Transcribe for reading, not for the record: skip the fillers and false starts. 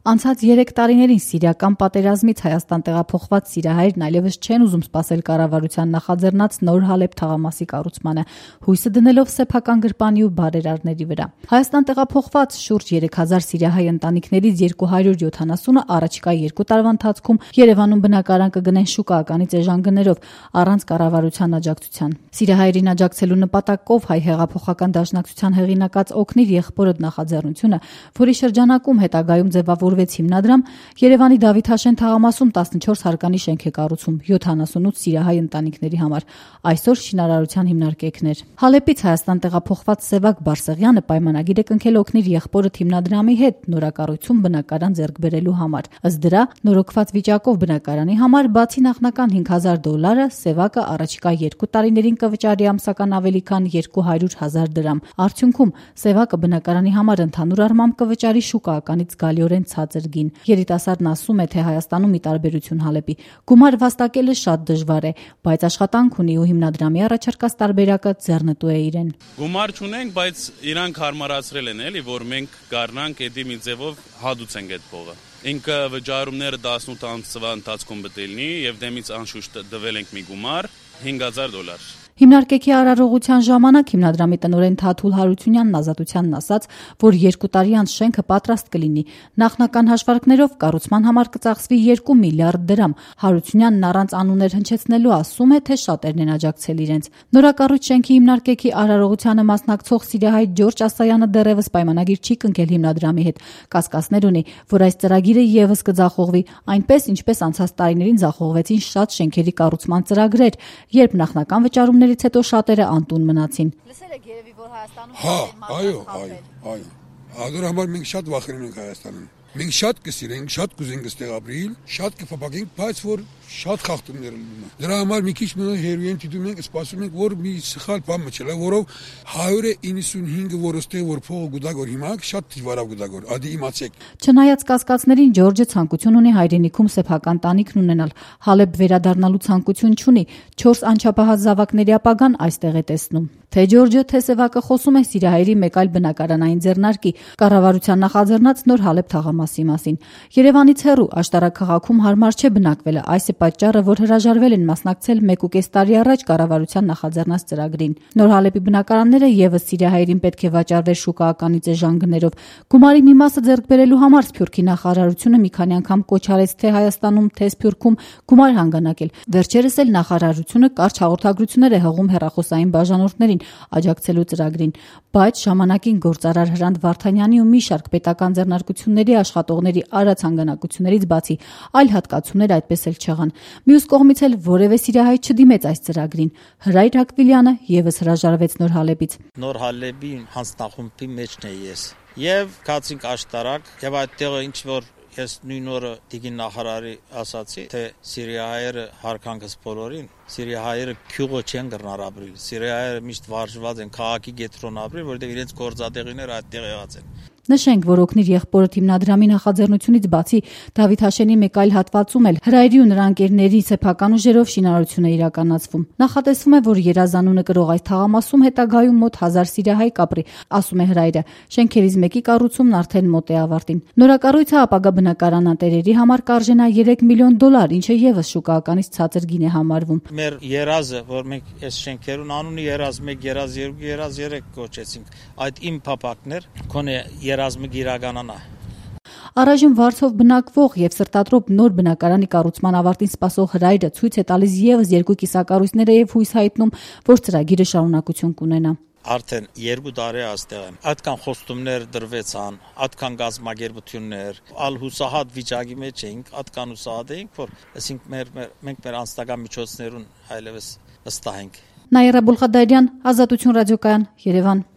Անցած 3 տարիներին սիրիական պատերազմից Հայաստան տեղափոխված սիրիահայերն այլևս չեն ուզում սպասել կառավարության նախաձեռնած նոր Հալեբ թաղամասի կառուցմանը, հույսը դնելով սեփական գրպանի ու բարերարների վրա։ Հայաստան տեղափոխված շուրջ 3000 սիրիահայ ընտանիքներից 270-ը առաջիկա 2 տարվա ընթացքում Երևանում բնակարան կգնեն շուկայականից էժան գներով, առանց կառավարության աջակցության։ Սիրիահայերին աջակցելու նպատակով Հայ հեղափոխական դաշնակցության հեղինակած «Օգնիր եղբորդ» նախաձեռնությունը, որի շրջանակում հետագայում ձևավորվեց հիմնադրամ, Երևանի Դավիթ Հաշեն թաղամասում 14 հարկանի շենք է կառուցում 78 սիրիահայ ընտանիքների համար, այսօր շինարարության հիմնարկեքներ։ Հալեպից Հայաստան տեղափոխված Սևակ Բարսեղյանը պայմանագիր է կնքել «Օգնիր եղբորդ» հիմնադրամի հետ նորակառույցում բնակարան ձեռք բերելու համար։ Ըստ դրա, նորոգված վիճակով բնակարանի համար բացի նախնական $5,000, Սևակը առաջիկա 2 տարիներին կվճարի ամսական ավելի քան 200,000 դրամ։ Արդյունքում Սևակը բնակարանի համար ընդհանուր առմամբ կվճարի շուկայականից զգալիորեն ցածր գին։ Երիտասարդն ասում է, թե Հայաստանում ի տարբերություն Հալեպի գումար վաստակելը շատ դժվար է, բայց աշխատանք ունի ու հիմնադրամի առաջարկած տարբերակը ձեռնտու է իրեն։ Գումար չունենք, բայց իրանք հարմարացրել են, էլի, որ մենք գարնանք էդի մի ձևով հադուցենք այդ փողը։ Ինքը վճարումները 18 ամսվա ընթացքում բտելնի եւ դեմից անշուշտ դվել ենք մի գումար $5,000։ Հիմնարկեքի արարողության ժամանակ հիմնադրամի տնօրեն Թաթուլ Հարությունյանն Ազատությանն ասաց, որ 2 տարի անց շենքը պատրաստ կլինի։ Նախնական հաշվարկներով կառուցման համար կծախսվի 2 միլիարդ դրամ։ Հարությունյանն առանց անուններ հնչեցնելու ասում է, թե շատերն են աջակցել իրենց։ Նորակառույց շենքի հիմնարկեքի արարողությանը մասնակցող սիրիահայ Ջորջ Ասայանը դեռևս պայմանագիր չի կնքել հիմնադրամի հետ։ Կասկածներ ունի, որ այս ծրագիրը եւս կձախողվի, այնպես ինչպես անցած տարիներին ձախողվեցին շատ շենքերի կառուցման ծրագրեր, երբ նախնական վճարումներից հետո շատերը անտուն մնացին։ Լսել եք երևի, որ Հայաստանում այո։ Ադոր համար մենք շատ վախենում ենք Հայաստանում։ Մենք շատ կսիրենք, շատ կուզենք այստեղ ապրել, շատ կփապակենք, բայց որ շատ խախտումներ լինում են։ Դրա համար մի քիչ հերույեն դիտում ենք, սպասում ենք, որ մի սխալ բան մնա, որով 195-ը որ ոստեղ որ փողը գուտագոր հիմա շատ դժվարավ գուտագոր, ադի իմացեք։ Չնայած կասկածներին Ջորջը ցանկություն ունի հայրենիքում սեփական տանիքն ունենալ, Հալեբ վերադառնալու ցանկություն չունի, 4 անչափահաս զավակների ապագան այստեղ է տեսնում։ Թե Ջորջը, թե Սևակը խոսում է սիրիահայերի մեկ այլ բնակարանային ձեռնարկի, կառավարության նախաձեռնած նոր Հալեբ թաղամասի մասին։ Երևանից հեռու աշտարակ քաղաքում հարմար չէ բնակվելը, այս է պատճառը, որ հրաժարվել են մասնակցել 1.5 տարի առաջ կառավարության նախաձեռնած ծրագրին։ Նոր Հալեպի բնակարանները եւս սիրիահայերին պետք է վաճառվեր շուկայականից էժան գներով։ Գումարի մի մասը ձեռք բերելու համար Սփյուռքի նախարարությունը մի քանի անգամ կոչ արեց թե Հայաստանում, թե Սփյուռքում գումար հանգանակել։ Վերջերս էլ նախարարությունը կարճ հաղորդագրություններ է հղում հեռախոսային բաժանորդներին աջակցելու ծրագրին, բայց ժամանակին գործարար Հրանտ Վարդանյանի ու մի շարք պետական ձեռնարկությունների աշխատողների արած հանգանակություններից բացի այլ հատկացումներ այդպես էլ չեղան։ Մյուս կողմից էլ որևէ սիրիահայ չդիմեց այս ծրագրին։ Հրայր Հակվիլյանը եւս հրաժարվեց Նոր Հալեպից։ Նոր Հալեպի հանձնախումբի մեջն է ես։ Եվ կացինք աշտարակ եւ այդտեղ ինչ որ ես նույն օրը դիգին նախարարի ասացի, թե սիրիահայերը հարկանքս բոլորին, սիրիահայերը քյուղը չեն գրնար ապրիլ, սիրիահայերը միշտ վարժված են քաղաքի գետրոն ապրիլ, որտեղ իրենց գործատեղիները այդտեղ եղած են։ Նշենք, որ Օգնիր եղբորդ հիմնադրամի նախաձեռնությունից բացի Դավիթ Հաշենի մեկ այլ հատվածում էլ Հրայրի ու նրա ընկերների սեփական ուժերով շինարարություն է իրականացվում։ Նախատեսվում է, որ երազանունը կրող այս թաղամասում հետագայում մոտ 1000 սիրիահայ կապրի, ասում է Հրայրը։ Շենքերից մեկի կառուցումն արդեն մոտ է ավարտին։ Նորակառույցը ապագա բնակարանատերերի համար կարժենա $3 միլիոն, ինչը եւս շուկայականից ցածր գին է համարվում։ Մեր երազը, որ մենք այս շենքերուն անունի երազ 1, երազ 2, երազ 3 կոչեցինք, այդ իմ փապակներ կոնե երազմը գիրականանա։ Առայժմ Վարշով բնակվող եւ սրտատրոփ նոր բնակարանի կառուցման ավարտին սպասող Հրայրը ցույց է տալիս եւս 2 կիսակառույցները եւ հույս հայտնում, որ ծրագիրը շարունակություն կունենա։ Արդեն 2 տարի այստեղ եմ։ Այդքան խոստումներ դրվեցան, այդքան գազམ་ագերբություններ, ալ հուսահատ վիճակի մեջ էինք, այդքան հուսահատ էինք, որ ասինք մենք մեր անձնական միջոցներուն այլևս վստահ ենք։ Նաիրա Բուլխադարյան, Ազատություն ռադիոկայան, Երևան։